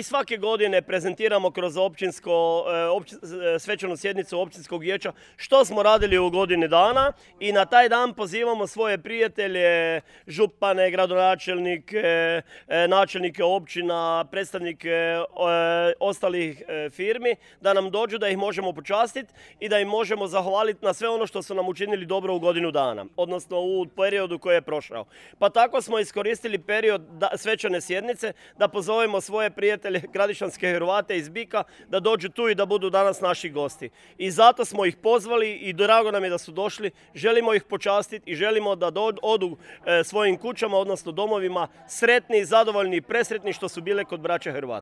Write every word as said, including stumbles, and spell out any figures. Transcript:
i svake godine prezentiramo kroz općinsko, općin, svečanu sjednicu općinskog vijeća što smo radili u godini dana i na taj dan pozivamo svoje prijatelje, župane, gradonačelnike, načelnike općina, predstavnike ostalih firmi da nam dođu, da ih možemo počastiti i da im možemo zahvaliti na sve ono što su nam učinili dobro u godinu dana, odnosno u periodu koji je prošao. Pa tako smo iskoristili period svečane sjednice da pozovemo svoje prijatelje Gradišanske Hrvate iz Bika da dođu tu i da budu danas naši gosti. I zato smo ih pozvali i drago nam je da su došli, želimo ih počastiti i želimo da odu svojim kućama, odnosno domovima, sretni, zadovoljni i presretni što su bile kod braće Hrvata.